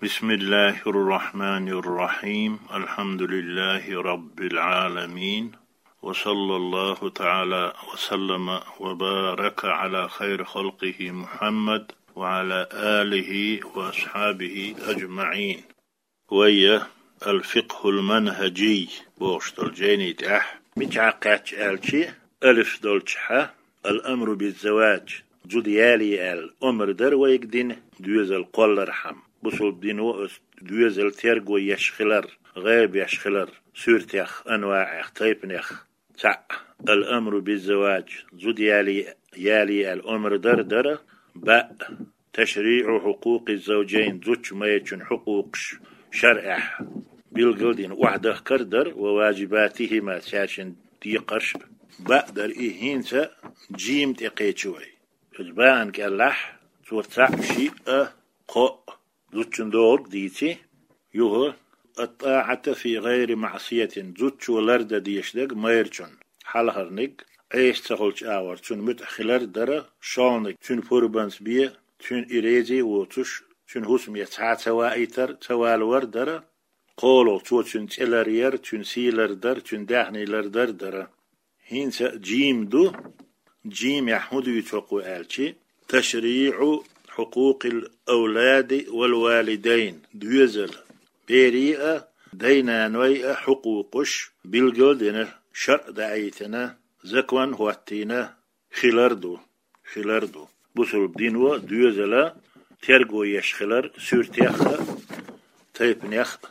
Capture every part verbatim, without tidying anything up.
بسم الله الرحمن الرحيم. الحمد لله رب العالمين. وصلى الله تعالى وسلم وبارك على خير خلقه محمد وعلى آله وأصحابه أجمعين. Вай الفقه المنهجي бохуш долу жайни тӀехь мичахь кхаьчча аьлча, алиф долчохь, الأمر بالزواج, зуда ялае аьлла омра дара вайга дина, доьзал кхоллархьама. Бусалба дино оцу доьзал терго еш хилар, гӀайба еш хилар, суьртех, анваӀех, тайпанех. Цхьаъ, الأمر بالزواج, зуда ялае, ялае аьлла омра дар дара, баъ, تشريع حقوق الزوجين, зудчун, майрачун хьукъукъаш шарӀехь билгал дина охьадахкар дара, وواجباتهما, цаьршинна декхарш а. Баъ дара и, хӀинца жим тӀе кхечи вай. Иза баан кӀеллахь, цо цхьаъ, шиъ, кхоъ, зудчун догӀург дийци, юха الطاعة في غير معصية, зудчо лардан дезаш дерг майрачун, хьалхарниг, Ӏеса ца хуьлучу агӀор цунна муьтӀахь хилар дара, шолгӀаниг, цуьнан пурбанца бен, цуьнан и реза а воцуш, цуьнан хӀусаме цхьа а ца ваийтар, ца валавар дара, кхоалгӀа, цо цуьнан цӀе ларъяр, цуьнан сий лардар, цуьнан даьхний лардар дара. ХӀинца жим ду, жимехь хӀун дуьйцу хӀокхо аьлча, تشريع حقوق الأولاد والوالدين, доьзал, берийн а, дай-наной а хьукъукъаш билгал а дина, шарӀ даийтина, закон хӀоттийна хилар ду, хилар ду. Бусалба дино доьзал терго еш хилар суьртех а, тайпанех а.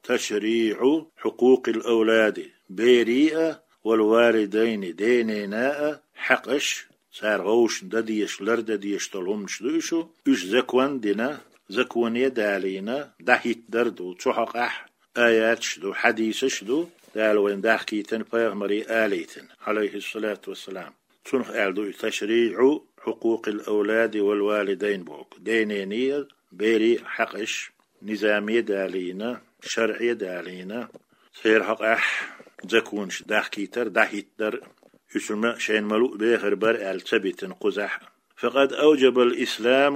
تشريع حقوق الأولاد, берийн а, والوالدين, ден-ненан а хьакъаш, цара вовшашна дан дезаш, лардан дезаш долу хӀуманаш ду уьш, уьш закон дина, законе далийна, дӀахӀиттадар ду, цу хьокъехь аяташ ду, хьадисаш ду, Дала вайна дахкийтина, пайхамаре алийтина, عليه الصلاة والسلام. Цунах аьлла ду и: تشريع حقوق الأولاد والوالدين боху. Ден-ненан а, берийн а хьакъаш низаме далийна, шарӀе далийна, церан хьокъехь законаш дахкийтар, дӀахӀиттадар, уьш ма шайна ма-луъу бехар бара аьлла ца битина кхузахь. فقد أوجب الإسلام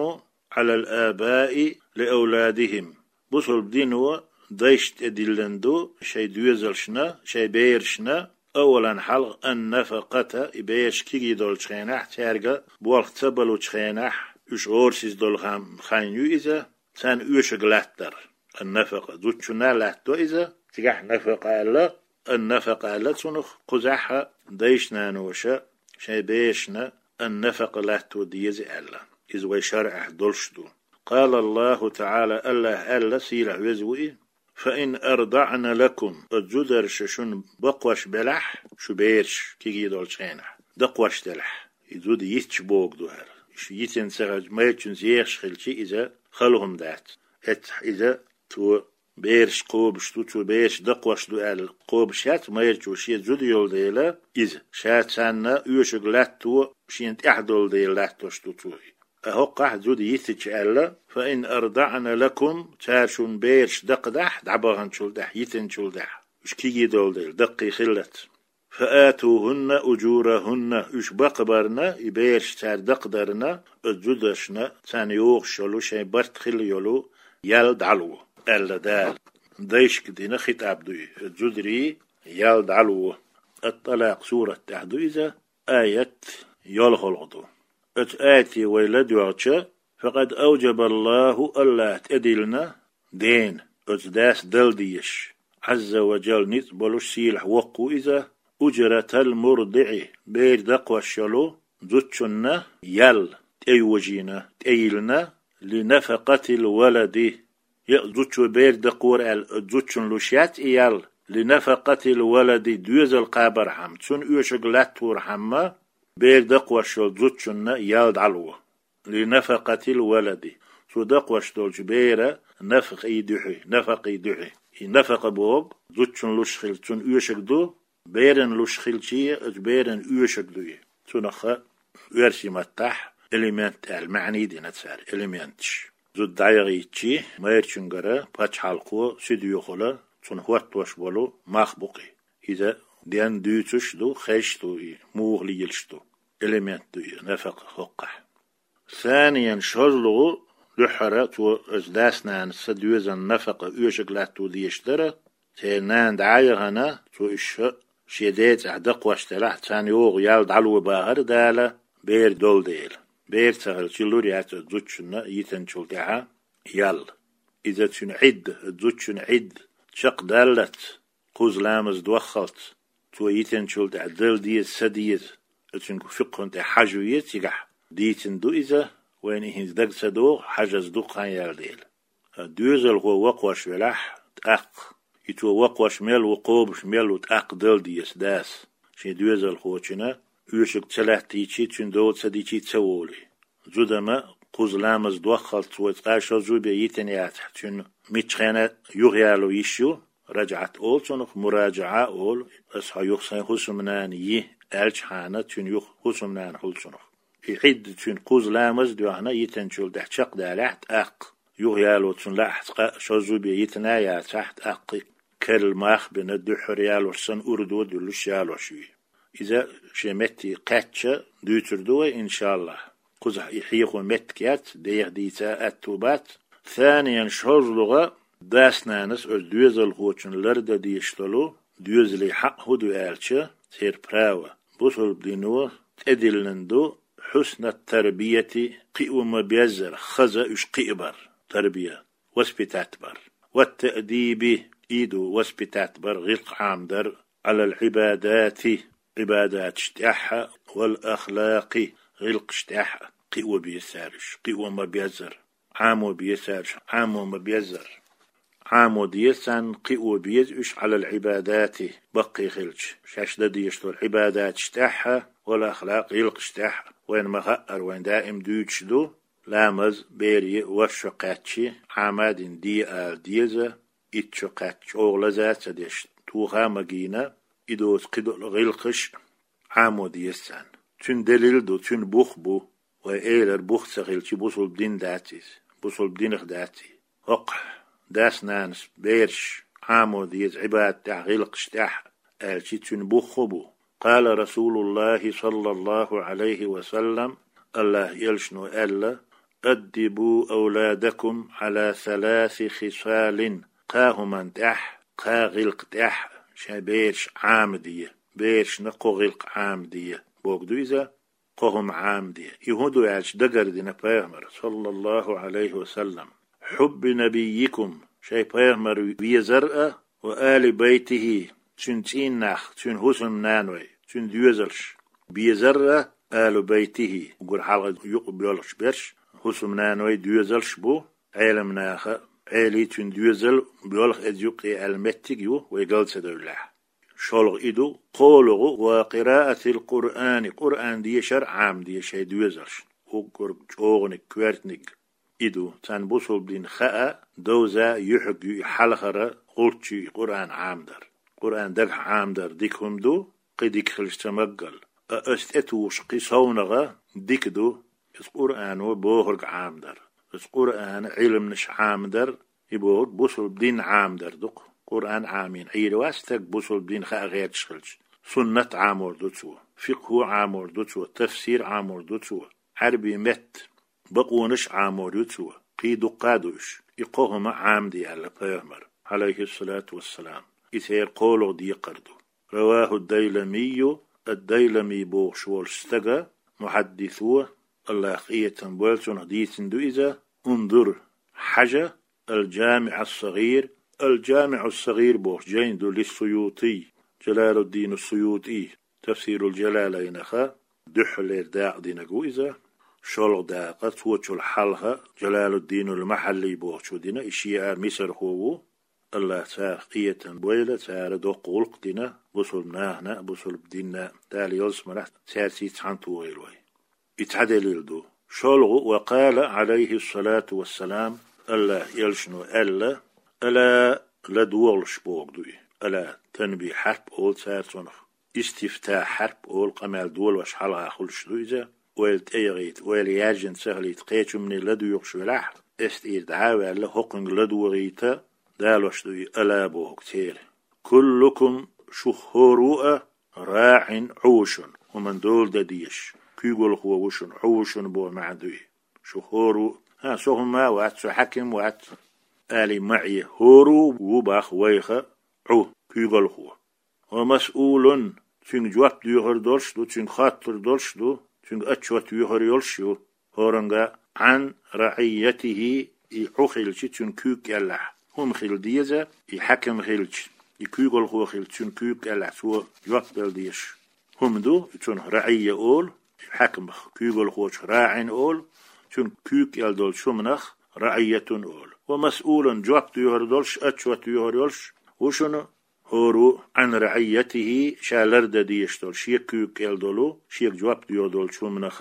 على الآباء لأولادهم. Бусалба дино дайшна тӀедиллина ду шайн доьзалшна, шайн берашна, أولاً хьалха, النفقة, и бераш кегий долчу хенахь, цаьрга болх ца балучу хенахь, уьш гӀорасиз долу хан, хан ю иза, царна оьшург латтар. النفقة, зудчунна латто иза, цигахь نفقة аьлла, النفقة аьлла цунах, кхузахь дайша-наноша шайн берашна النفقة латто деза аьлла. Иза вай шарӀехь долуш ду. قال الله تعالى, АллахӀа аьлла, сийлахь веза ву и: فإن أرضعن لكم, оцу зударша шуна бакхош белахь, шун бераш кегий долчу хенахь, дакхош делахь, и зуда йитча богу ду хӀара. Шу йитина ца хилча, майрачуьнца ехаш хилча, иза хала хӀума дац. Эццахь иза цо бераш кхобуш ду, цо бераш дакхош ду аьлла кхобуш яц майрачо, шен зуда йолу дела иза. Ша царна оьшург латто шена тӀехь долу дела латтош ду цо и. Ткъа хӀокхахь зуда йитича аьлла: فإن أرضعن لكم, цара шуна бераш дакхадахь, дӀабаханчул тӀаьхьа, йитинчул тӀаьхьа, уьш кегий долу дела, даккхий хиллалц. فآتوهن أجورهن, уьш бакхабарна, и бераш цара дакхадарна, оцу зударшна царна йогӀуш йолу шайн барт хилла йолу ял дӀало, аьлла Дала. Дайшка дина хитӀаб ду и, оцу зударийн ял дӀало. Ат-ТӀалакъ сурат тӀехь ду иза, аят йолхалгӀа ду. Оцу аяте вай ладоьгӀча, فقد أوجب الله, АллахӀа тӀедиллина дена, оцу дас дала дезаш, عز وجل, ницкъ болуш, сийлахь воккха ву иза, أجرة المرضع, бер дакхош йолу зудчунна ял тӀейожийна, тӀейиллина, لنفقة الولد, я зудчо бер дакхора аьлла, зудчунна луш яц и ял, لنفقة الولد, доьзал кхабархьама, цунна оьшург латторхьама, бер дакхош йолу зудчунна ял дӀало. لنفقة الولد. Цо дакхош долчу беран нафакъий дуьхьа, нафакъий дуьхьа. И нафакъа бохург зудчун луш хилча цунна оьшург ду, беран луш хилча а оцу беран оьшург ду и. Цунах оьрсийн маттахь алимент аьлла маьӀний дина цара, алименташ. Зуда дӀаяхийтича, майрачуьнгара пачхьалкхо, суьдоьхула, цунна хӀоттош болу мах бу-кх и. Иза денна дуьйцуш ду, хезаш ду и, муха лелаш ду. Алимент ду и, нафакъа хӀокхахь. ثانياً, шозлагӀа, Дуьххьара цо оцу дас-нанас ца доьзан нафакъа оьшург латто дезаш дара, церан нана дӀа а яхана, цо уьш шен ден цӀахь дакхош делахь, царна йогӀу ял дӀало бахара Дала, бер долу дела. Бер ца хилча, лур яц оцу зудчунна йитинчул тӀаьхьа ял. Иза цуьнан Ӏидда, оцу зудчун Ӏидда чекхдаллалц, кхузза ламаз доххалц, цо йитинчул тӀаьхьа дала деза, ца деза, оцуьнга фикъхӀун тӀе хьажа веза цигахь. Дийцина ду иза, вайна и хӀинца дага ца догӀу, хьажаза дукха хан яьлла дела. Доьзалхо воккхавеш велахь, тӀаккха, и цо воккхавеш мел ву, кхобуш мел ву, тӀаккха дала деза дас шен доьзалхочунна, оьшург ца латтийчий, цуьнан дола ца дичий ца волий. Зуда-м кхузза ламаз доххалц вай цкъа шозза бен йитина яцахь, цуьнан миччахьа юхаяло йиш ю, раджӀат олу цунах, мураджаӀа олу, аса хьо юха сайн хӀусамнана йи аьлчхьана, цуьнан юха хӀусамнана хуьлу цунах. И Ӏидда цуьнан кхузза ламаз а доьхна, йитинчул тӀаьхьа чекхдалахь, тӀаккха юхаяло цунна лаахь, цкъа шозза бен йитина яцахь, тӀаккха керла мах а бина, дуьххьара ялош санна, урдо а дуьллуш ялош юй. Иза шен метте кхаьчча дуьйцур ду вай, иншааллахӀ. Кхузахь и хьехо меттиг яц, деха дийца а аьтту бац. Саниян, шозлагӀа, дас-нанас оцу доьзалхочунна лардан дезаш долу доьзалийн хьакъ хӀун ду аьлча, церан права, бусалба дино тӀедиллина ду, хьуснат-тарбияти, кхио ма-беззара, хаза уьш кхиабар, тарбия, воспитать бар. Ват-таъдиби, и ду воспитать бар, гӀиллакх Ӏамадар, Ӏалал-Ӏибадати, Ӏибадаташ тӀехь а, вал-ахлакъи, гӀиллакхаш тӀехь а кхио беза цара уьш, кхио ма-беззара, Ӏамо беза цара уьш, Ӏамо ма-беззара. Ӏамо деза царна, кхио беза уьш, Ӏалал-Ӏибадати, баккхий хилча, шаьш дан дезаш долу Ӏибадаташ тӀехь а, вал-ахлакъ, гӀиллакхаш тӀехь а. Вайна ма-хаъара, вайна даим дуьйцуш ду, ламаз бере ворхӀ шо кхаьччи, Ӏама а дина де ала деза, итт шо кхаьчча чӀогӀа лаза а ца деш, тоха а магийна, и доцу кхидолу гӀиллакхаш а Ӏамо деза царна. Цуьнан делил а ду, цуьнан бух а бу, вай элира, бух ца хилчи, бусалба дин дац иза, бусалба динах дац и. ХӀокхахь дас-нанас бераш Ӏамо деза Ӏибадат тӀехь, гӀиллакхаш тӀехь аьлчи, цуьнан бух хӀун бу? Къала расулуллахӀи, саллаллахӀу Ӏалайхи ва саллам, АллахӀан элчано аьлла: «Аддибу авладакум Ӏала саласи хисалин», кхаа хӀуманна тӀехь, кхаа гӀиллакх тӀехь шайн бераш Ӏамаде, берашна кхо гӀиллакх Ӏамаде, бохург ду иза, кхо хӀума Ӏамаде. И хӀун ду аьлча, дагардина пайхамара, саллаллахӀу Ӏалайхи ва саллам: «Хьубби набиййикум», шайн пайхамар везар а, «ва али байтихӀи», цуьнан цӀийннах, цуьнан хӀусамнаной, цуьнан доьзалш безар а, «алу байтихӀи», уггар хьалха юкъа боьлхуш берш, хӀусамнаной, доьзалш бу, Ӏеламнаха, Ӏелий, цуьнан доьзал боьлху эза юккъе аьлла меттиг а ю, вай гал ца девллехь. ШолгӀа и ду, кхоалгӀа, «ва къираатил Къуръани», Къуръан дешар Ӏамаде шайн доьзалшна, уггар чӀогӀаниг, коьртаниг. И ду, царна бусалба дин хаа, довза, юьхьиг ю и хьалхара, гӀулч ю и Къуръан Ӏамадар. Къуръан дагахь Ӏамадар дика хӀума ду, кхин дика хилча ца маггал. А аса тӀетухуш кхин совнагӀа дика ду, иза Къуръано бохург Ӏамадар. Иза Къуръана Ӏилманаш Ӏамадар, и бохург бусалба дин Ӏамадар ду-кх. Къуръан Ӏамийна Ӏийр вац стаг, бусалба дин хаа гӀерташ хилча. Суннат Ӏамор ду цо, фикъхӀу Ӏамор ду цо, тафсир Ӏамор ду цо, Ӏаьрбийн меттан бакъонаш Ӏамор ю цо, кхин дуккха а ду уьш. И кхо хӀума Ӏамаде аьлла пайхамара, Ӏалайхиссалату вассалам. И церан кхоалгӀа декхар ду. РавахӀу Дайламийю, ад-Дайламий бохуш волчу стага, мухьаддисо, АллахӀ къинхетам бойла цунах, дийцина ду иза, унзур, хьажа, Ал-ДжамиӀ ас-СагӀир, Ал-ДжамиӀ ас-СагӀир бохуш жайна ду лис-Суютий, Джалалуддин ас-СуютӀий, Тафсирул Джалалайнаха дуьххьарлера дакъа динарг ву иза, шолгӀа дакъа, цочул хьалха Джалалуддинул Махьаллий бохучо дина, и шиъ а мисархо ву, АллахӀ царах къинхетам бойла, цара доккха гӀуллакх дина бусалба нахана а, бусалба динна а, Дала ялсаманехь цаьрций цхьаьна тухийла вай. И цхьа делил ду. ШолгӀа, ва къала, Ӏалайхиссалату вассалам, АллахӀан элчано аьлла, ала, ладогӀалаш бохург ду и. Ала, танбихӀ хьарп олу цара цунах. ИстифтахӀ хьарп олу, къамел долош хьалха хуьлуш ду иза. Ойла тӀеяхийта, ойла яьржина ца хилийта, кхечунна ладоьгӀуш велахь, эс тӀера дӀа а ваьлла, хӀокхуьнга ладогӀийта далош ду и ала бохург церан. Куллукум, шух хӀора а, раӀин, Ӏу ву шуна, хӀуманна дола дан дезаш, куьйгалхо ву шуна, Ӏу ву шуна боху маьӀна ду и. Шух хӀора а ХӀа, со хӀума вац, со хьаким вац, аьле ма Ӏе. ХӀора ву бах вайх Ӏу, куьйгалхо. Ва масъулун, цуьнга жоп доьхур долуш ду, цуьнга хоттур долуш ду, цуьнга отчет йоьхур йолуш ю. ХӀоранга Ӏан раӀийятихӀи, и Ӏу хилча цуьнан куьйга кӀелахь хӀума хила деза, и хьаким хилча, и куьйгалхо хилча, цуьнан куьйга кӀелахь цо жоп дала дезаш хӀума ду, цунах раӀийя олу, и хьакимах куьйгалхочух раӀин олу, цуьнан куьйга кӀел долчу хӀуманах раӀийятун олу. Ва масъулун, жоп доьхур долуш, отчет йоьхур йолуш ву шуна, хӀора ву Ӏан раӀийятихӀи, ша лардан дезаш долу, шен куьйга кӀел долу, шега жоп доьхур долчу хӀуманах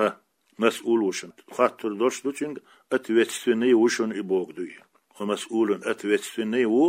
масъул ву шуна. Хоттур долуш ду цуьнга, ответственный ву шуна и бохург ду и. Ва масъулун, ответственный ву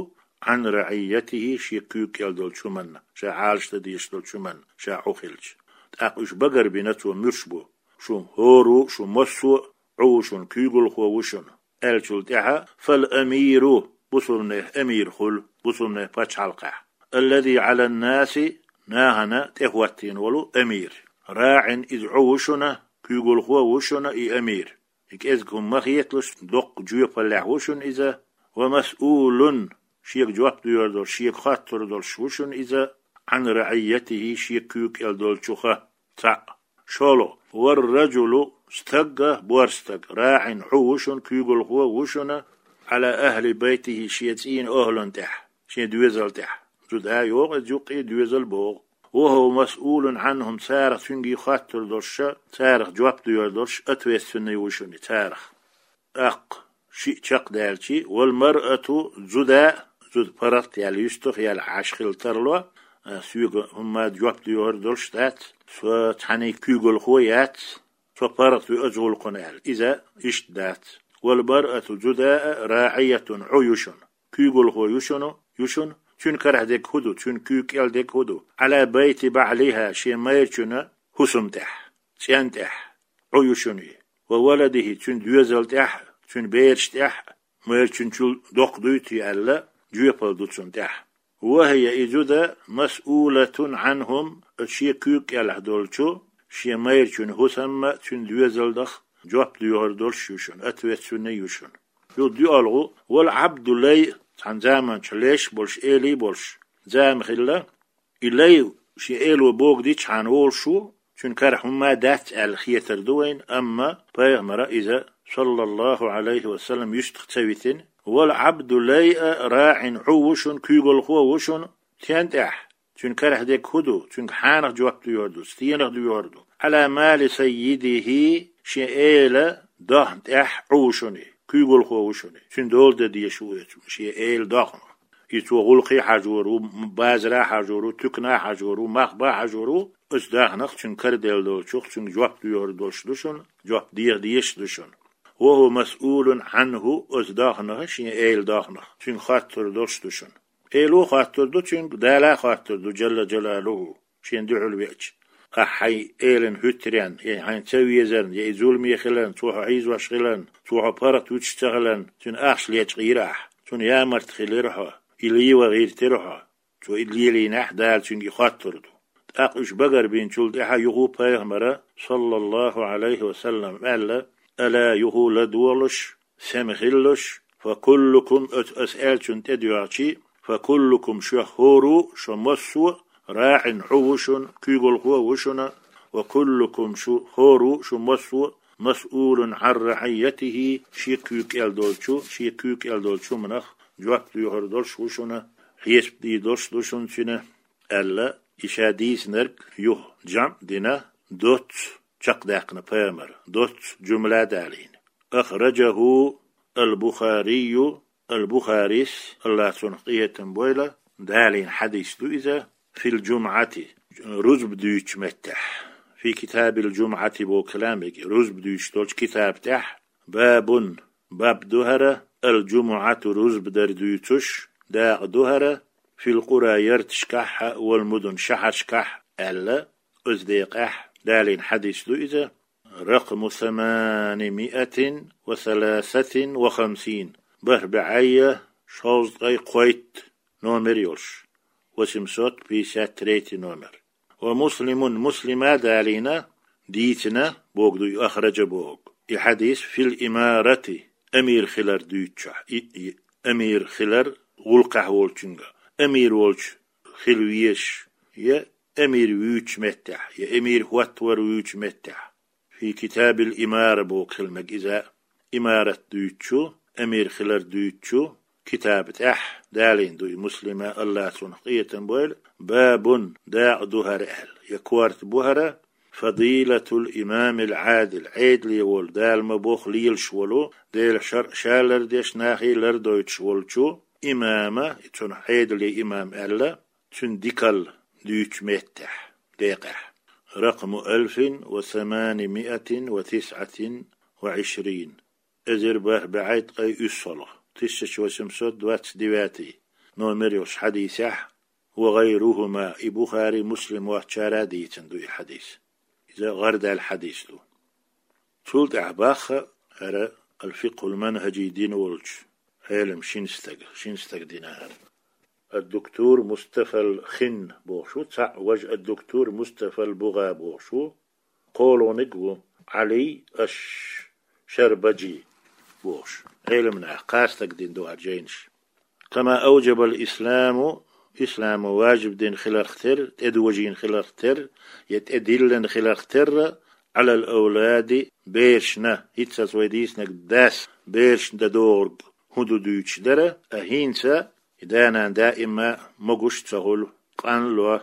Ӏан раӀийятихӀи, шен куьйга кӀел долчу хӀуманна, ша Ӏалашдан дезаш долчу хӀуманна, ша Ӏу хилча. ТӀаккха уьш багарбина цо муьлш бу. Шу хӀора ву, шу массо а Ӏу ву шуна, куьйгалхо ву шуна аьллачул тӀаьхьа, фал амиру, бусулбанех амир хуьлу, бусулбанех пачхьалкхехь. Аллази Ӏалан-наси, нахана тӀехӀоттийна волу амир. РаӀин, иза Ӏу ву шуна, куьйгалхо ву шуна и амир. И кӀезиг хӀума ма хеталуш, доккха жоьпаллехь ву шуна иза. Ва масъулун, шега жоп доьхур долуш, шега хоттур долуш ву шуна иза, Ӏан раӀийятихӀи, шен куьйга кӀел долчух. Цхьаъ. ШолгӀа. Вар-раджулу, стаг а, бор стаг, раӀин, Ӏу ву шуна, куьйгалхо ву шуна, Ӏала ахӀли байтихӀи, шен цӀийнан охӀлан тӀехь, шен доьзал тӀехь. Зуда йогӀу иза юккъе, доьзал боху. Ва хӀува масъулун ӀанхӀум, царах цуьнга хоттур долуш, царах жоп доьхур долуш, ответственный ву шуна царах. ТӀаккха шиъ чекхдаьлчи, вал маръату, зуда, зуда паргӀат яьлла, юьстах яьлла Ӏаш хила тарло, а, соьга хӀумма жоп доьхур долуш дац, со цхьаьний куьйгалхо яц, со паргӀат ву оцу гӀуллакхана аьлла. Иза иштта дац. Вал маръату, зуда а, раӀийятун, Ӏу ю шуна, куьйгалхо ю шуна, ю шуна, цуьнан карахь дерг хӀун ду, цуьнан куьйга кӀел дерг хӀун ду? Ӏала байти баӀлихӀа, шен майрачунна хӀусам тӀехь, цӀен тӀехь. Ӏу ю шуна и. Ва валадихӀи, цуьнан доьзал тӀехь, цуьнан бераш тӀехь, майрачуьнчул доккха дуй те аьлла, жоьпалла ду цунна тӀехь. Ва хӀия, и зуда, масъулатун ӀанхӀум, оцу шен куьйга кӀелахь долчу, шен майрачун хӀусамма, цуьнан доьзалнах жоп доьхур долуш ю шуна, ответственный ю шуна. Юха дуьалгӀу, вал Ӏабду лай, цхьана заманчохь леш а болуш, элий а болуш, зама хилла, и лай, шен эло бохург дичхьана волуш ву, цуьнан карахь хӀумма дац аьлла хетар ду вайна, амма пайхамара иза, саллаллахӀу ӀалайхӀи ва саллам, юьстах ца витина. Вал Ӏабду лай а, раӀин, Ӏу ву шуна, куьйгалхо ву шуна, цӀен тӀехь, цуьнан карахь дерг хӀун ду, цуьнга хьанах жоп доьхур ду, стенах доьхур ду? Ӏала мали саййидихӀи, шен эла дахна тӀехь Ӏу ву шуна и, куьйгалхо ву шуна и, цуьнан дола дан дезаш ву оцу шен эла дахнах. И цо гӀуллакхе хьажор ву, базара хьажор ву, туькана хьажор ву, мах бан хьажор ву, оцу дахнах цуьнан караделла долчух, цуьнга жоп доьхур долуш ду шуна, жоп деха дезаш ду шуна. Ва хӀува масъулун ӀанхӀу, оцу дахнах, шен эла дахнах, цуьнга хоттур долуш ду шуна. Эло хоттур ду цуьнга, Дала хоттур ду, Джалла ДжалалухӀу, шена дуьхьал веача. Ахь хьайн элана хӀуьттаренна, я хьайна ца везарна, я и зуламе хиларна, цо хьо хьийзош хиларна, цо хьо паргӀат вуьтуш ца хиларна, цуьнан ахча лечкъийра ахь, цунна ямарта хилира хьо, и лийван гӀиртира хьо. Цо и лелийнехь, Дала цуьнга и хоттур ду. ТӀаккха уьш багарбинчул тӀаьхьа юха пайхамара, саллаллахӀу ӀалайхӀи ва саллам, аьлла, ала, юха ладогӀалаш, сема хилалаш, фа куллукум, оцу аса аьллачунна тӀедоьгӀчи, фа куллукум, шух хӀора ву, шу массо а, раӀин, Ӏу ву шуна, куьйгалхо ву шуна, ва куллукум, шу хӀора ву, шу массо а, масъулун Ӏан раӀийятихӀи, шен куьйга кӀел долчу, шен куьйга кӀел долчу хӀуманах жоп доьхур долуш ву шуна, хьесап дийр долуш ду шуна цуьнан, аьлла, и ша дийцинарг юха жамӀ дина, доцца чекхдаьккхина пайхамара, доцца жумла далийна. АхӀраджахӀу ал-Бухарийю, ал-Бухарис, АллахӀ цунах къинхетам бойла, далийна хьадис ду иза, фил-жумӀати, рузба дуьйцучу меттехь. Фи китабил-жумӀати боху калам, рузба дуьйцуш долчу китаба тӀехь, бабун, баб ду хӀара, ал-жумӀату, рузба дар дуьйцуш дакъа ду хӀара, фил-къура, ярташкахь а, вал-мудун, шахьаршкахь а, аьлла, оцу декъехь далийна хьадис ду иза, ракъму саманимиатин ва саласатин ва хамсин, бархӀ бӀе шовзткъе кхойтта номер йолуш, восемьсот пятьдесят третий номер. Ва Муслимун, Муслима далийна, дийцина, боху ду и, ахӀраджа боху. И хьадис фил-имарати, амир хилар дуьйцучохь, и, и, амир хилар гӀуллакхехь волчуьнга, амир волчу хила везаш, я амир вуьйцучу меттехь, я амир хӀоттавар вуьйцучу меттехь. Фи китабил имара боху хила мега иза, имарат дуьйцучу, амир хилар дуьйцучу китаба тӀехь далийна ду и Муслима, Алла цунах къинхетам бойла, бабун, дакъа ду хӀара аьлла, я корта бу хӀара, фадилатул имамил Ӏадил, Ӏедале волу, Дала ма боху лелаш волу, Делан шаръ ша лардеш, нахе лардойтуш волчу имама, цунах Ӏедале имам аьлла, цуьнан дикалла дуьйцучу меттехь, декъехь. Ракъму алфин ва самани миатин ва тисъатин ва ишрин. Эзар бархӀ бӀе ткъе уьссалгӀа, тысяча восемьсот двадцать девятый номер йолуш хьадисехь, ва гӀайрухума, и Бухари, Муслим воцчара а дийцина ду и хьадис. Иза гӀардаьлла хьадис ду. Цул тӀаьхьа боху хӀара ал-фикъхул манхӀажи дина волчу Ӏелам шина стага, шина стага дина хӀара. Ад-дуктур Мустафал Хин бохуш ву, цхьаъ важа ад-дуктур Мустафал Бугъа бохуш ву, кхоалгӀаниг ву Ӏали аш-Шарбаджи бохуш. Ӏеламнаха кхаа стага дина ду хӀара жайнаш. Кама авджабал исламу, исламо важиб дина хиларх терра, тӀедожийна хиларх терра, я тӀедиллина хиларх терра, Ӏалал авлади, берашна, хӀинццалц вай дийцинарг дас берашна дан догӀург хӀун ду дуьйцуш дара, а хӀинца и да-нана даима могуш а ца хуьлу, къанло,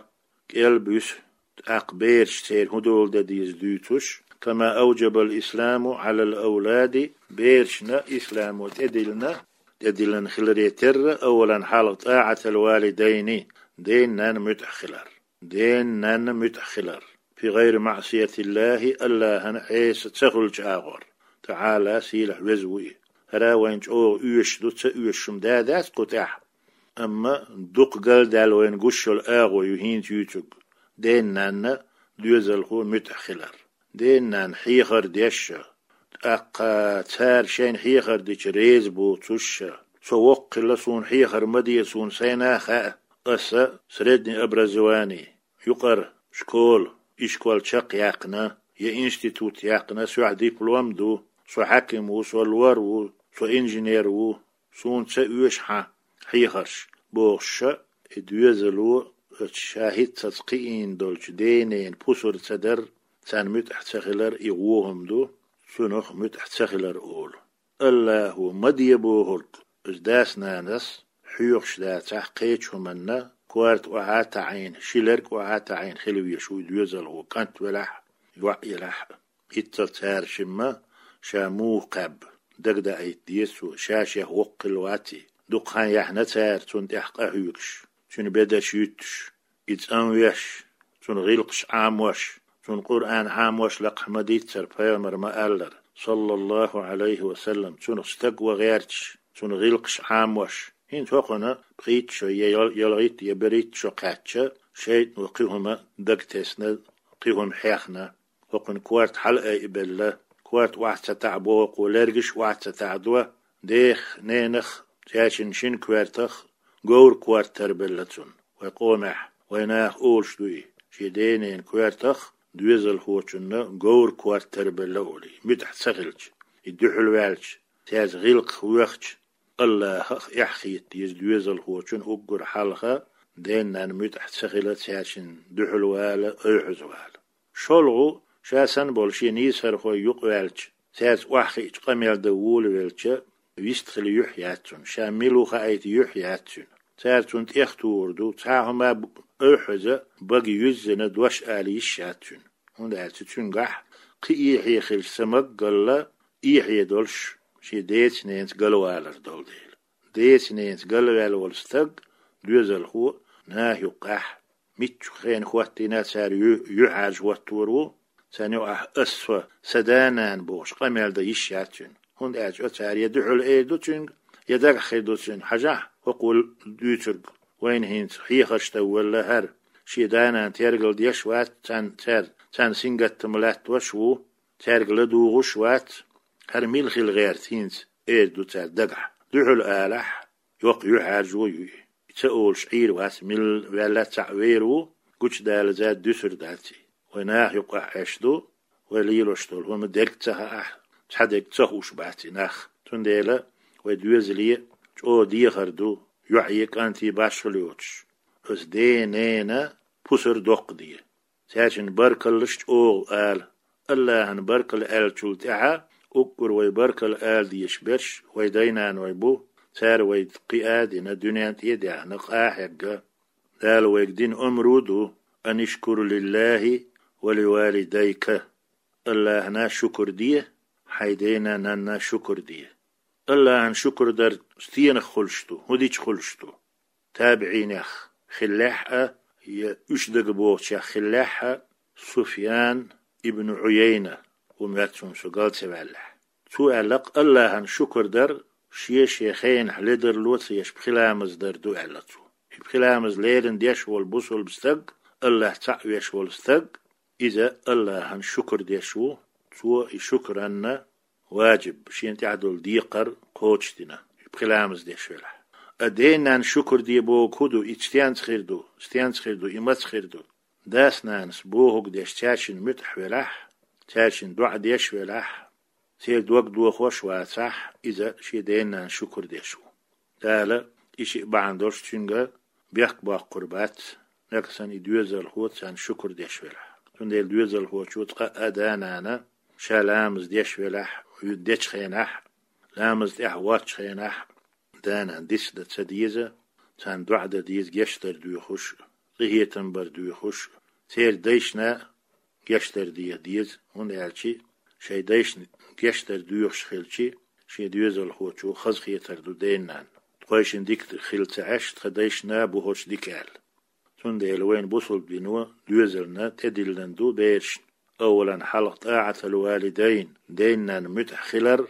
кӀел буьсу, тӀаккха бераш церан хӀун дола дан деза дуьйцуш, кама авджабал исламу Ӏалал авлади, берашна исламо тӀедиллина, тӀедиллина хиларе терра, аввалан хьалха тӀаӀатал валидайни, ден-нанна муьтӀахь хилар. Ден-нанна муьтӀахь хилар. Фи гӀайри маӀсиятиллахӀи, Аллахьана Ӏеса ца хуьлучу агӀор. ТаӀала, сийлахь веза ву и. ХӀара вайна чӀогӀа оьшуш ду, ца оьшуш хӀума да дац кху тӀехь. Амма дукха галдаьлла вайна гуш йолу агӀо ю хӀинца юьйцург. Ден-нанна, доьзалхо муьтӀахь хилар. Ден-нанна хьехар деш а, тӀаккха цара шайна хьехар дича реза боцуш а, со воккха хилла, суна хьехар ма де, суна сайна а хаьа, аса средний образование, юкъара школа, ишкол чекхъяьккхина, я институт яьккхина, соьгахь диплом ду, со хьаьким ву, со лор ву, со инженер ву, суна ца оьшу хьан хьехарш, бохуш а, и доьзало оцу ша хӀинццалц кхиийна долчу ден-ненан пусар ца дар, царна муьтӀахь ца хилар и вон хӀума ду, цунах муьтӀахь ца хилар олу. Аллахьо ма де бохург, иза дас-нанас хьоьхуш дацахь кхечу хӀуманна, корта охьа а таӀийна, ши лерг охьа а таӀийна хила везаш ву и доьзалхо, кӀант велахь а, йоӀ елахь а. ХӀинццалц цара шимма ша муха кхаьбна, дагадаийта деза цо, ша шех воккха хилла вац и. Дукха хан яьхьна цара цунна тӀехь къахьоьгуш, цуьнан бедарш юьттуш, и цӀанвеш, цунна гӀиллакхаш Ӏамош, цунна Къуръан Ӏамош лакхахь ма дийццара, пайхамара ма аллара, саллаллахӀу Ӏалайхи ва саллам, цунах стаг ван гӀерташ, цунна гӀиллакхаш Ӏамош. ХӀинца хӀокхуьнан пхийтта шо я ял-, ялхитта я берхӀитта шо кхаьчча, шайтӀано кхин хӀума дагтесна, кхин хӀума хьехна. ХӀокхуьнан корта хьалаайбелла, корта охьа ца таӀабо хӀокхо, лергаш охьа ца таӀадо, дех, ненах, цаьршинна шина коьртах говр корта тарбелла цунна. Вай къомехь, вай наха олуш ду и, шен ден-ненан коьртах доьзалхочунна говр корта тарбелла олий, муьтӀахь ца хилча, и дуьхьал ваьлча, цаьрца гӀиллакхах воьхча, Аллахьах эхь хета деза доьзалхочун уггар хьалха, ден-нанна муьтӀахь ца хила, цаьршинна дуьхьал вала, ойхьаза вала. ШолгӀа, ша санна болу шен нийсархой юкъаваьлча, цаьрца охьахиъча къамел дан волавелча, вистхила юьхь яц цунна, ша мила ву хаийта юьхь яц цуьнан. Цара цунна тӀехтухур ду, цхьа а хӀума б-, ойхьаза, бага юьззина дош ала йиш яц цуьнан. ХӀунда аьлча цуьнгахь кхин эхье хилча ца магалла, эхье долуш шен деца-ненаца галвалар долу дела. Деца-ненаца галваьлла волу стаг, доьзалхо, наха юккъехь, миччу хенахь хӀоттийна цара ю-, юьхьӀаьржа хӀоттор ву, царна юкъахь ас, со, сан да-нана бохуш къамел дан йиш яц цуьнан. ХӀунда аьлча цара я дуьхьал эр ду цуьнга, я дагахь хир ду цуьнан. Хьажахь, хӀокхо дуьйцург, вайна хӀинца хьехарш дан велла хӀара, шен да-нана тергал деш вац, царна, цаьрца, царна сингаттам латтош а ву, цаьрга ладугӀуш а вац, хӀара мила хила гӀерта хӀинца, эр ду цара дагахь. Дуьхьал алахь, йоккха юьхьӀаьржо ю и. И ца олуш Ӏийр вац, мила ваьлла а цхьаъ вер ву, гучудалаза дуьсур дац и. Вай наха юкъахь Ӏеш ду, вай лелош долу хӀума дерг ца хаахь, цхьа дерг ца хууш бац и нах. Цундела вай доьзале чӀогӀа дехар ду, йоӀе, кӀанте башхалла йоцуш, оцу ден-ненан пусар доккха де. Цаьршинна баркаллаш чӀогӀа ала. АллахӀана баркалла аьллачул тӀаьхьа уггар вай баркалла ала дезаш берш вай дай-наной бу, цара вай кхиа а дина, дуьнен тӀе а даьхна, къа а хьегна. Дала вайга дина омра ду: «Анишкур лиллахӀи ва ливалидайка». АллахӀана шукур де, хьайн дена-нанна шукур де. АллахӀана шукур дар стенах хуьлуш ду, хӀун дича хуьлуш ду? ТабиӀинех хиллехь а, я уьш дага бохучех хиллехь а, Суфьян ибн Ӏуяйна ву моьтту суна, со гал ца ваьллехь. Цо аьлла-кх, АллахӀана шукур дар шен-шен хенахь ледарло ца еш пхи ламаз дар ду, аьлла цо. И пхи ламаз леррина деш волу бусалба стаг, АллахӀ цхьаъ веш волу стаг, иза АллахӀана шукур деш ву, цо и шукранна важиб, шена тӀехь долу декхар кхочушдина, и пхи ламаз деш велахь. А ден-нанна шукур де бохург хӀун ду, и стенца хир ду, стенца хир ду, и маца хир ду? Дас-нанас бохург деш, цаьршинна муьтӀахь велахь, цаьршинна доӀа деш велахь, церан дог дохош вацахь, иза шен ден-нанна шукур деш ву. Дала и шиъ бахьана долуш цуьнга бехк боккхур бац, нагахь санна и доьзалхо царна шукур деш велахь. Цундела доьзалхочо цкъа а да-нана ша ламаз деш велахь, дечу хенахь, ламаза тӀехь воцчу хенахь, да-нана дицдан ца деза, царна доӀа дан деза, гечдар доьхуш, къинхетам бар доьхуш, церан дайшна гечдар деха деза, хӀунда аьлча шайн дайшна гечдар доьхуш хилча, шен доьзалхочо хазахетар ду ден-нанна. Тхойшинна дика хила ца Ӏеш, тхан дайшна бухурш дика аьлла. Цундела вайна бусалба дино доьзална тӀедиллина ду берашна. Аввалан хьалха тӀаӀатал валидайн, ден-нанна муьтӀахь хилар,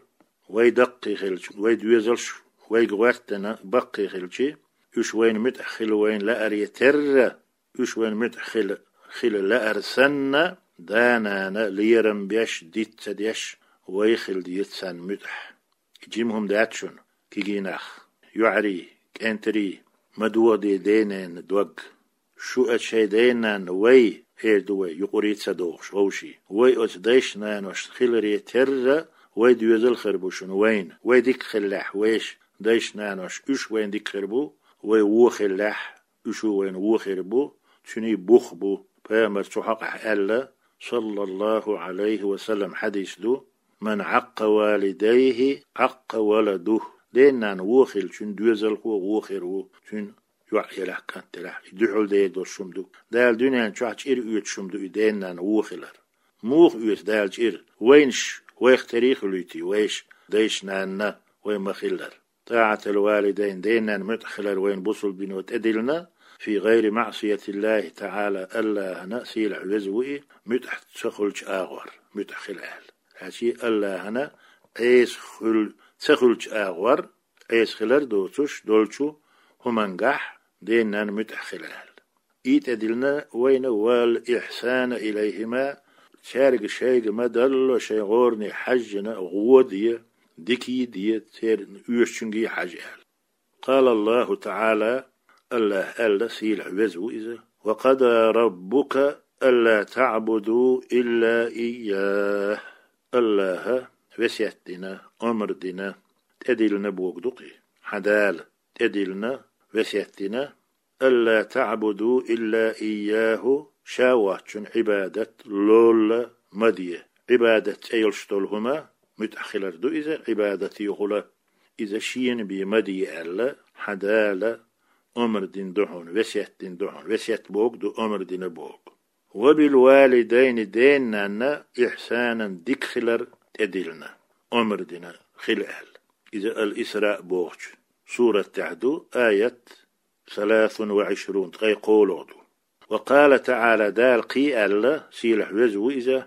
вай даккхий хилча, вай доьзалш вайга гӀоьртина баккхий хилча, уьш вайна муьтӀахь хила вайна лааре терра, уьш вайна муьтӀахь хила, хила лаар санна, да-нана лерам беш, диц ца деш, вай хила деза царна муьтӀахь. И жима хӀума дац шуна, кегий нах, йоӀарий, кӀентарий, ма дохаде ден-ненан дог. Шу оцу шайн ден-нанна вай, эр ду вай, юкъарий ца дохуш вовший. Вай оцу дайшна-наношна хиларе терра, вай доьзал хир бу шуна вайна. Вай дика хиллехь, вешан дайшна-нанош, уьш вайна дика хир бу, вай вон хиллехь, уьш а вайна вон хир бу, цуьнан бух бу. Пайхамара цу хьокъехь аьлла, саллаллахӀу Ӏалайхи ва саллам, хьадис ду: «Ман Ӏаккъа валидайхи, Ӏаккъа валадухӀ». Ден-нана вон хилчун доьзалхо вон хир ву, цуьнан йоӀ елахь, кӀант елахь, и дуьхьал дер долуш хӀума ду. Дала дуьнен чохь чӀир оьцуш хӀума ду и ден-нана вон хилар. Муха оьцу Дала чӀир? Вайнаш вайх тера хуьлуьйтий, вешан дайшна-нанна вай ма-хиллара. ТӀаӀатал валидайн, ден-нанна муьтӀахь хилар вайна бусалба дино тӀедиллина, фи гӀайри маӀсиятиллахӀи таӀала, АллахӀана, сийлахь веза ву и, муьтӀахь ца хуьлучу агӀор, муьтӀахь хила аьлла. Хьаьчи АллахӀана Ӏеса хуьл-, ца хуьлучу агӀор, Ӏеса хилар доцуш долчу хӀумангахь ден-нанна муьтӀахь хила аьлла. И тӀедиллина вайна: «Вал ихьсана илайхӀима», цаьрга шайга ма-далло шайн гӀоране хьаьжжина гӀо де, дика де, церан оьшучуьнга хьажа аьлла. Къала АллахӀу таӀала, АллахӀа аьлла, сийлахь веза ву иза: «Ва къада раббука алла таӀбуду илла ийяхӀ». АллахӀа весет дина, омра дина, тӀедиллина бохург ду-кх и, хьан Дала тӀедиллина, весет дина: «Алла таӀбуду илла ийяхӀу», ша воцчун Ӏибадат лолла ма де. Ӏибадат цӀе йолуш долу хӀума, муьтӀахь хилар ду иза, Ӏибадат йохула, иза шена бен ма де аьлла, хьан Дала омра дина ду хьуна, весет дина ду хьуна, весет бохург ду, омра дина бохург. «Ва бил валидайни», ден-нанна, «ихьсанан», дика хилар тӀедиллина, омра дина хила аьлла. Иза Ал-Исраъ бохучу сурат тӀехь ду, аят саласун ва Ӏишрун, ткъе кхоалгӀа ду. Ва къала таӀала, Дала кхин а аьлла, сийлахь веза ву иза: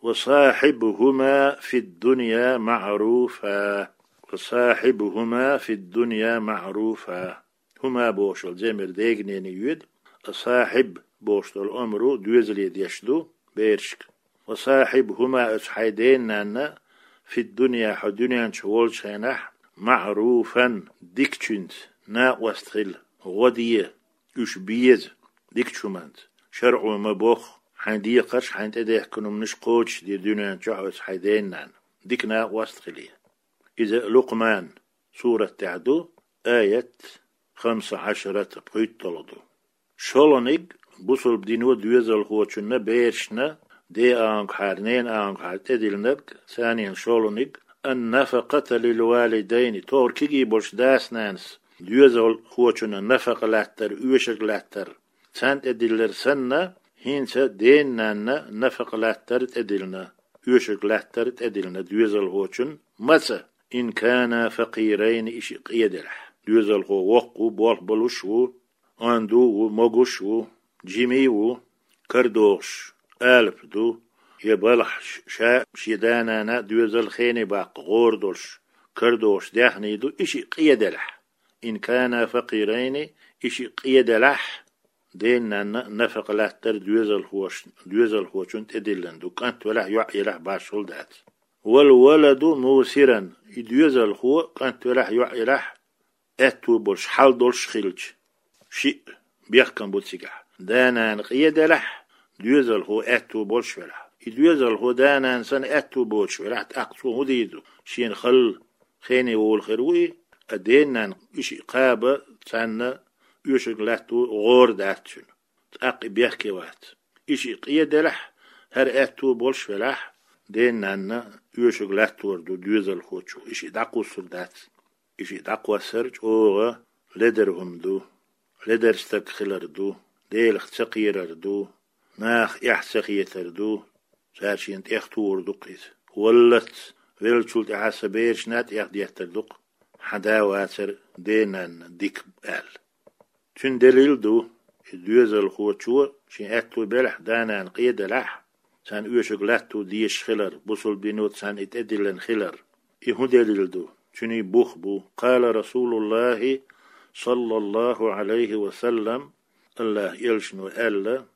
«Ва сахьибхӀума фид-дунья маӀруфа». «Ва сахьибхӀума фид-дунья маӀруфа». «ХӀума» бохуш йолу замир дегнене йоьду, а «сахьиб» бохуш долу омра доьзале деш ду берашка. «Ва сахьибхӀума», оцу хьайн ден-нанна, «фид-дунья», хьо дуьнен чу волчу хенахь, «маӀруфан», дикачуьнца, накъост хила, гӀо де, уьш беза дикачу хӀуманца. ШарӀо ма-бохху, хьайн декхарш, хьайна тӀедехкина хӀуманаш кхочушде дуьнен чохь оцу хьайн ден-нанна. Дика накъост хиле. Иза Лукъман сурат тӀехь ду, аят хамса Ӏашарат, пхуьйтталгӀа ду. ШолгӀаниг бусулба дино доьзалхочунна, берашна, ден агӀонгахьара, ненан агӀонгахьара тӀедиллинарг, санийна шолгӀаниг, ан-нафакъата лил-валидайни, тохара кегий болчу дас-нанас доьзалхочунна нафакъа латтар, оьшург латтар, царна тӀедиллар санна, хӀинца ден-нанна нафакъа латтар тӀедиллина, оьшург латтар тӀедиллина доьзалхочунна, маца, ин кана факъирайни, и шиъ къеделахь. Доьзалхо воккха ву, болх болуш ву, онда ву, могуш ву, жимий ву, карадогӀуш алапа ду, я балхахь ш-, ша шен да-нана доьзал, хене баккха гӀора долуш, карадогӀуш даьхний ду, и шиъ къеделахь. Ин кана факъирайни, и шиъ къеделахь, ден-нанна нафакъа латтар доьзалхош-, доьзалхочунна тӀедиллина ду, кӀант велахь, йоӀ елахь, башхалла дац. Вал валаду мусиран, и доьзалхо, кӀант велахь, йоӀ елахь, аьтту болуш, хьал долуш хилча, шиъ бехкам бу цигахь. Да-нана къеделахь, доьзалхо аьтту болуш велахь. И доьзалхо да-нана санна аьтту боцуш велахь, тӀаккха цо хӀун дийр ду? Шена халла, хене волу хир ву и, а ден-нанна и шиъ кхаба, царна оьшург латто гӀора дац цуьнан. ТӀаккха и бехке вац. И шиъ къеделахь, хӀара аьтту болуш велахь, ден-нанна оьшург латтор ду доьзалхочо, и шиъ дӀакхуссур дац. И шиъ дӀакхоссар чӀогӀа ледара хӀума ду, ледара стаг хилар ду, Делах ца кхерар ду, нахах эхь ца хетар ду, цара шена тӀехтухур ду-кх иза. Валлалц, веллачул тӀаьхьа сан берашна а тӀехдеттар ду-кх хьан да вацар ден-нанна дика аьлла. Цуьнан делил ду, и доьзалхочо шен аьтту белахь, да-нана къеделахь, царна оьшург латто дезаш хилар, бусулба дино царна и тӀедиллина хилар. И хӀун делил ду? Цуьнан бух бу: къала Расулуллахи, саллаллаху Ӏалайхи ва саллам, Аллахьан элчано аьлла: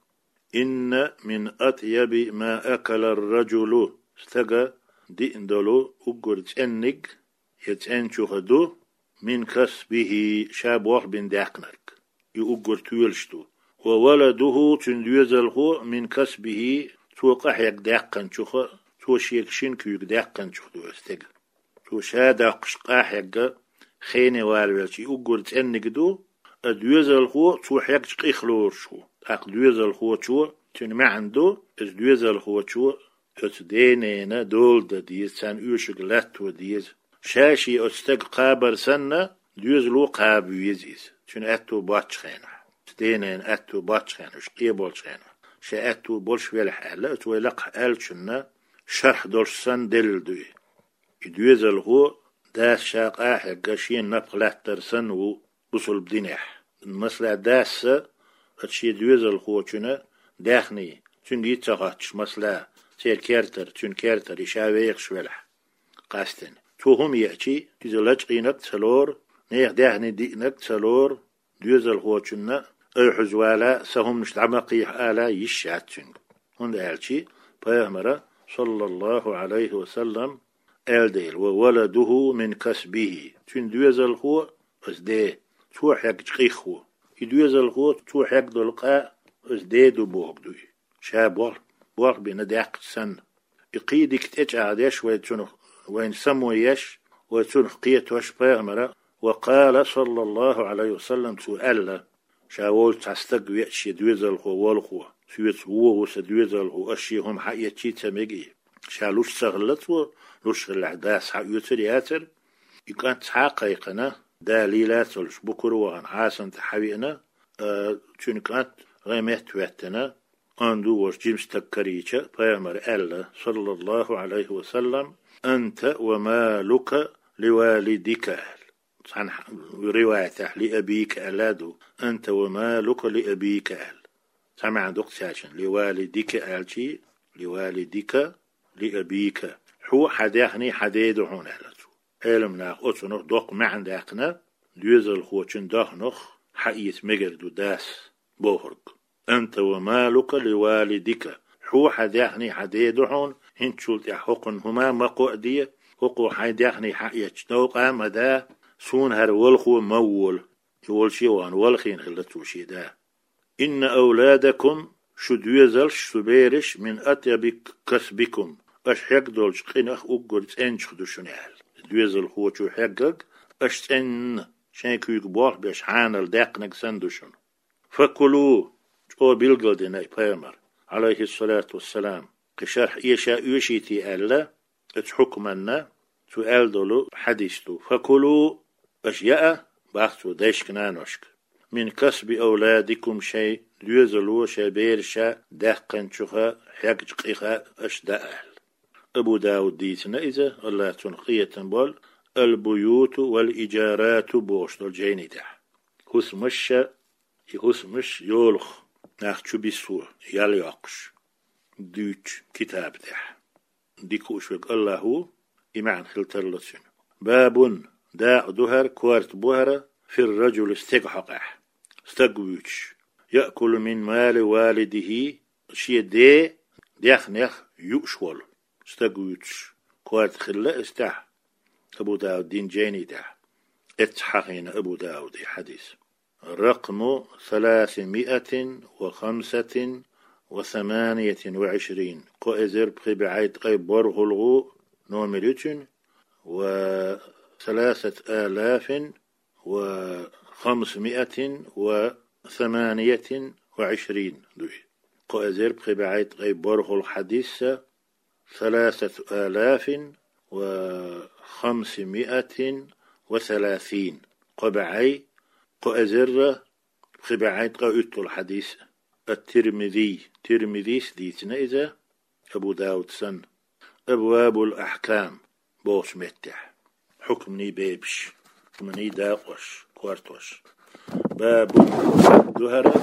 «Инна мин атъяби ма акала ар-раджулу», стага диъна долу уггар цӀенниг, я цӀенчуха ду, «мин касбихи», ша болх бина даьккхинарг. И уггар тоьлуш ду. «Ва валадуху», цуьнан доьзалхо, «мин касбихи», цо къахьегна даьккхинчуха, цо шега шина куьйга даьккхинчух ду оцу стеган. Цо ша доккхуш къахьегна, хене валавелча, и уггар цӀенниг ду, а доьзалхо цо хьегча къих лоруш ву. ТӀаккха доьзалхочо, цуьнан маьӀна ду, иза доьзалхочо оцу ден-ненан дола дан деза, царна оьшург латто деза. Ша шен оцу стага кхабар санна, доьзало кхаба веза иза, цуьнан аьтту боцчу хенахь. Оцу ден-ненан аьтту боцчу хенахь, уьш къеболчу хенахь. Шен аьтту болуш велахь аьлла, оцу вай лакхахь аьллачунна шарх долуш санна делил ду и. И доьзалхо дас ша къахьегна шена напха лаьттар санна ву бусулба динехь. Масала, дас а оцу шен доьзалхочунна даьхний, цуьнга йиц ца хоттуш, масала, церан кертара, цуьнан кертара и ша вехаш велахь, къаьстина. Цо хӀума еачий, иза лачкъийнарг ца лору, нехан даьхний диънарг ца лору, доьзалхочунна, ай хьуьза вала, сан хӀуманаш дӀа ма кхехьа ала йиш яц цуьнга. ХӀунда аьлча пайхамара, саллаллаху Ӏалайхи ва саллам, аьлла дела: «Ва валадуху мин касбихи». Цуьнан доьзалхо, оцу ден, цо хьегча къих ву. И доьзалхо, цо хьегна долу къа, оцу ден ду бохург ду и. Ша болх, болх бина даьккхича санна. И кхин дика тӀечӀагӀдеш вай цунах, вайна само еш, вай цунах кхетош пайхамара, ва къала, саллаллаху Ӏалайхи ва саллам, цо аьлла: «Ша волчу цхьа стаг веача шен доьзалхо волхо, соьца вон ву сан доьзалхо, ас шен хӀума хьаэцчий ца мега и». Ша луш ца хилла цо, луш хиллехь дас хьаоьцур яцара. И кӀант схьа а кхайкхина, да лийла а ца луш, букара а вахана, хьасана тӀе хьавеана, а, цуьнан кӀант гӀеметтахӀоьттина, онда волуш жима стаг карийча, пайхамара аьлла, саллаллаху Ӏалайхи ва саллам: «Анта ва малука ли валидика», аьлла. Цхьана риваятехь «ли абика» аьлла а ду, «анта ва малука ли абика» аьлла. Цхьа маьӀна ду-кх цаьршиннан, «ли валидика» аьлчий, «ли валидика, ли абика». Хьо, хьан даьхний хьан ден ду хьуна, аьлла цо. Ӏеламнаха оцунах доккха маьӀна даьккхина, доьзалхочун даьхнех хьаэца мегар ду дас бохург. «Анта ва малука ли валидика». Хьо, хьан даьхний хьан ден ду хьуна, хӀинцачул тӀаьхьа хӀокхунна хӀума ма кхоа де, хӀокхо хьайн даьхний хьаэцча новкъа а ма да, суна хӀара валхо ма вола. И волчу а вахана, валхийна хилла цо шен да. «Инна авладакум», шу доьзалш, шу бераш, «мин атъяби касбикум», аша хьегна долчу къинах уггар цӀенчух ду шуна аьлла. доьзалхочо хьеггаг, аша цӀена шайн куьйга болх беш хьанал даьккхинарг санна ду шуна. «فكلوا», чӀогӀа билгалдина и пайхамар, Ӏалайхиссалату вассалам, кхы шархь эша оьшийте аьлла, оцу хьукманна цо аьлла долу хьадис ду. «فكلوا», аша яа, бах цо, дайшка-наношка, «من كسب أولادكم», шайн доьзало шайн бераша даьккхинчуха, хьегначу къиха аша даа аьлла. Абу Дауд дийцина иза, АллахӀа цунах къинхетам болу, «البيوت والإجارات» бохуш долу жайни тӀехь. ХӀусамаш, и хӀусамаш йолах нах чу биссо, ял йоккхуш, дуьйцучу китаба тӀехь. Дика хууш верг АллахӀ ву, и маьӀна хила тарло цуьнан. «باب», дакъа ду хӀара, корта бу хӀара, «في الرجل», стеган хьокъехь. Стаг вуьйцуш, «يأكل من مال والده», шен ден даьхнех юуш волу стаг вуьйцуш, корта хилла иза тӀехь. Абу Дауд дина жайни тӀехь. Эццахь хьахийна Абу Дауде хьадис. رقم ثلاثمائة وخمسة وثمانية وعشرين. Кхо эзар пхи бӀе ткъе борхӀалгӀа номер ю цуьнан, وثلاثة آلاف وخمسمائة وثمانية وعشرين дуй. Кхо эзар пхи бӀе ткъе борхӀалгӀа хьадис, ثلاثة آلاف وخمسمائة وثلاثين. Кхо бӀе, кхо эзар пхи бӀе ткъе уьтталгӀа хьадис. Ат-Тирмизи, Тирмизис дийцина иза, Абу Дауд санна, «أبواب الأحكام» бохучу меттехь. Хьукманийн бебаш, хьукманийн дакъош, кортош. «باب» ду хӀара,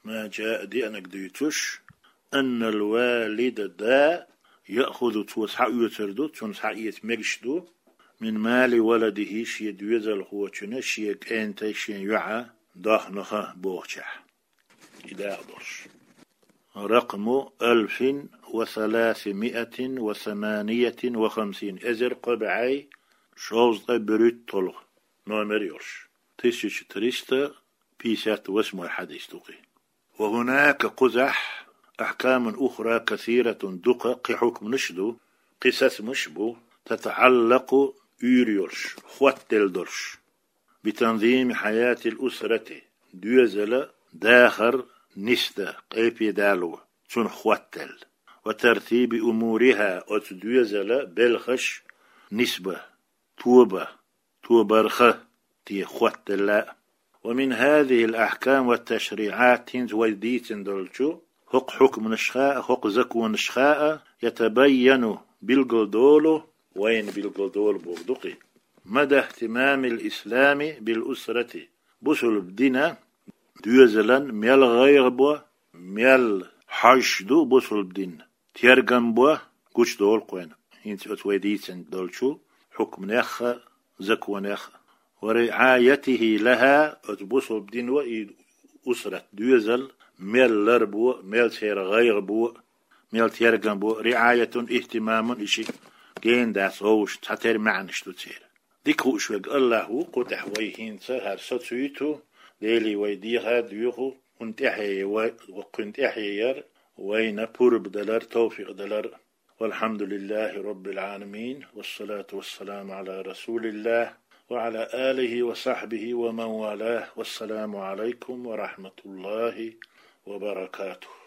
«ما جاء» деанарг дуьйцуш, «أن الوالد» да «يأخذ» цо схьаоьцур ду, цунна схьаэца мегаш ду, «من مال ولده» шен доьзалхочун, шен кӀентан, шен йоӀан даьхнех бохучехь. И дакъа долуш. «رقم ألف وثلاثمائة وثمانية وخمسين», эзар кхо бӀе шовзткъе берхӀитталгӀа номер йолуш. Тысяча триста пятьдесят восьмой хьадис ду кхин. «وهناك» кхузахь «أحكام أخرى كثيرة» дукха кхин хьукманаш ду, кхин сацамаш бу, «تتعلق» уьйр йолуш, хоттаделла долуш. «بتنظيم حياة الأسرة» доьзала дахар нисдан, къепе дало, цунах хоттаделла. «وترتيب أمورها» оцу доьзала белхаш нисбан, тобан, тобарх те хоттаделла. «ومن هذه الأحكام والتشريعات» хӀинца вай дийцина долчу хӀокху хьукманашха а, хӀокху законашха а «يتبين» билгалдолу, вайна билгалдолу боху ду кхин. «مدى اهتمام الإسلام بالأسرة» бусулба дина доьзалан мел гӀайгӀа бо, мел хьожуш ду бусулба дин, тергам бо, гучудолу кхуьнан. ХӀинца оцу вай дийцина долчу хьукманех а, законех а. «ورعايته لها» оцу бусулба дино и усрат доьзал мел ларбо, мел церан гӀайгӀа бо, мел тергам бо, «رعاية اهتمام» и шиъ гена дац вовшашца, цхьатера маьӀнаш ду церан. Дика хууш верг АллахӀ ву, кху тӀехь вай хӀинца хӀара сацуьйту, Деле вай дехар доьху, кхуьнан тӀаьхье вай, кхуьнан тӀаьхье яр вайна пурба далар, тавфикъ далар. والحمد لله رب العالمين، والصلاة والسلام على رسول الله، وعلى آله وصحبه ومن والاه، والسلام عليكم ورحمة الله وبركاته.